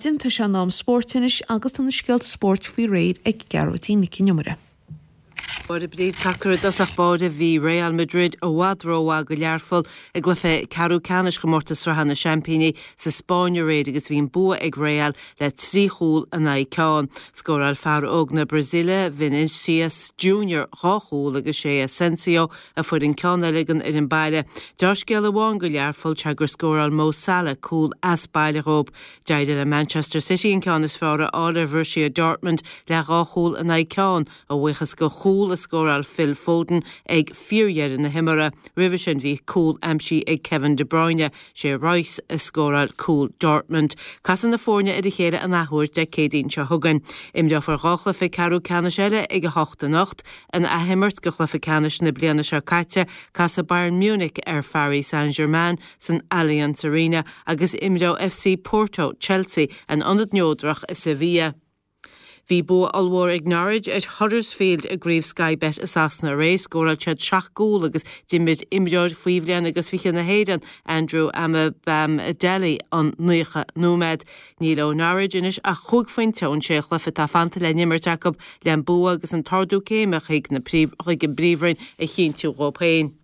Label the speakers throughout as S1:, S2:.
S1: maidin. Tá sé in am spóirt anois agus tá na scéalta spóirt faoi réir ag Gearóidín Nic Con Iomaire.
S2: Máire Bríd, Sacar i dtosach báire, bhí Real Madrid i bhfad rómhaith go Learpholl i gcluiche ceathrú ceannais Chomórtas Sraithe na Seaimpíní sa Spáinn aréir agus bhí an bua ag Real le 3 chúl in aghaidh ceann. Scóráil fear óg na Brasaíle, Vinicius Junior, dhá chúl agus sé Asensio a fuair an ceann eile don fhoireann baile. Deá-scéala amháin go Learpholl sea gur scóráil Mo Salah cúl as baile dhóibh. D'éirigh le Manchester City an ceann is fearr a fháil ar Bhorussia Dortmund le dhá chúl in aghaidh ceann, a bhuíochas go chúl a scóráil Phil Foden ag fíordheireadh na himeartha. Roimhe sin bhí cúl aimsithe ag Kevin De Bruyne. Sé Reus a scóráil cúl Dortmund. Casfaidh na foirne ar a chéile an athuair Dé Céadaoin seo chugainn. Imreofar dhá chluiche ceathrú ceannais eile ag 8 anocht. In athimirt go chluiche ceannais na bliana seo caite, casfaidh Bayern Munich ar Pharis Saint-Germain san Allianz Arena agus imreoidh FC Porto Chelsea in ionad neodrach i Sevilla. Bhí bua ollmhór ag Norwich ar Huddersfield i gCraobh Sky Bet i Sasana aréir. Scóráil siad 7 gcúl agus d'imir imreoir faoi bhliain agus 20 na hÉireann, Andrew Omobamidele, an 90 nóiméad. Níl ó Norwich anois ach chúig phointe ón sé chluiche atá fanta le n-imirt acu le an bua agus an t-ardú céime chuig an bPríomhroinn a chinntiú dhóibh féin.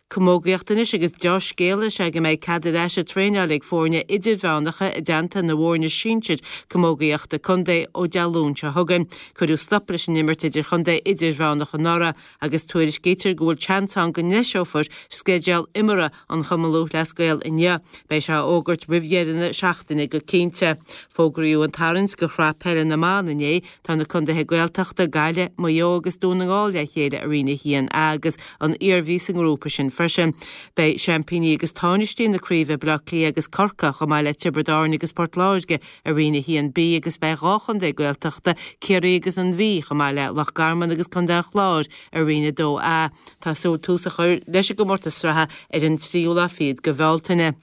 S2: Camógaíocht anois agus deá-scéala is ea go mbeidh cead ar ais ag traenáil ag foirne idirmheánacha i dteannta na bhfoirne sinsir camógaíochta contae ó Dé Luain seo chugainn. Cuireadh stop leis an imirt idirchontae idirmheánach anuraidh agus tuairiscítear go bhfuil seans ann go ndeiseofar sceideal imeartha an Chumann Lúthchleas Gael inniu. Beidh sé á fhógairt roimh dheireadh na seachtaine go cinnte. Fógraíodh an tarraingt go Shraith Peile na mBan inné. Tá na contaetha Gaeltachta, Gaillimh, Maigh Eo agus Dún na nGall le chéile i Roinn 1A agus an Iarmhí sa ngrúpa sin freisin. Beidh seaimpíní agus tánaistí na craoibhe Baile Átha Cliath agus Corcaigh, chomh maith le Tiobraid Árann agus Port Láirge i Roinn 1B agus beidh dhá chontae Gaeltachta, Ciarraí agus an Mhí, chomh maith le Loch Garman agus Contae an Chláir i Roinn 2A. Tá súil tús a chur leis an gcomórtas sraithe ar an tríú lá fichead de Bhealtaine.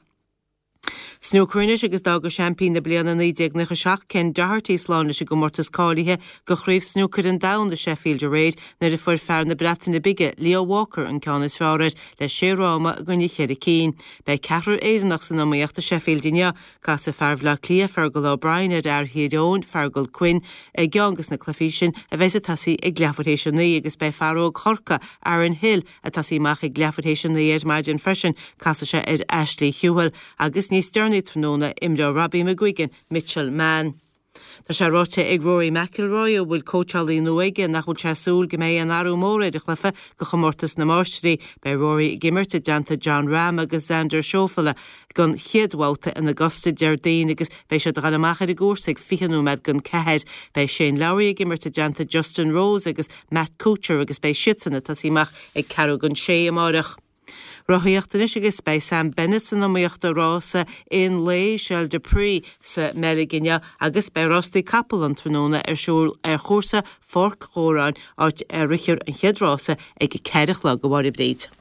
S2: Snúcar anois agus d'fhága seaimpín na bliana 1997, Ken Doherty, slán leis an gcomórtas cáilithe do Chraobh Snúcair an Domhain i Sheffield aréir nuair a fuair fear na Breataine Bige, Leo Walker, an ceann is fearr air le sé fhráma i gcoinne cheithre cinn. Beidh ceathrar Éireannach san iomaíocht i Sheffield inniu. Casfaidh fear Bhaile Átha Cliath, Fergal O'Brien, ar fhear Thír Eoghain, Feargal Quinn, i gceann de na cluichí sin a bheas ag tosaí ag leathuair théis a naoi agus beidh fear óg Chorcaí, Aaron Hill, Ag tosaí amach ag leathuair théis a 9 ar maidin freisin, casfaidh sé ar Ashley Hugill agus níos deireanaí tráthnóna imreoidh Robbie McGuigan Mitchell Mann. Tá sé ráite ag Rory McIlroy, a bhfuil cóitseálaí nua aige, nach bhfuil sé ag súil go mbeidh aon athrú mór ar a chluiche do chomórtas na Máistrí. Beidh Rory ag imirt i dteannta Jon Rahm agus Xander Schauffele don chéad bhabhta in Augusta Déardaoin agus beidh siad ag dul amach ar an gcúrsa ag 20 nóiméad don ceathair. Beidh Shane Lowry ag imirt i dteannta Justin Rose agus Matt Kuchar agus beidh siadsan ag tosaí amach ag ceathrú don sé amáireach. Rothaíocht anois agus beidh Sam Bennett san iomaíocht i rása aon lae Schell de Prix sa mBeilg inniu agus beidh rástaí capall an tráthnóna ar siúl ar chúrsa Pháirc Dhóráin áit a rithfear an chéad rása ag a ceathair a chlog, a Mháire Bríd.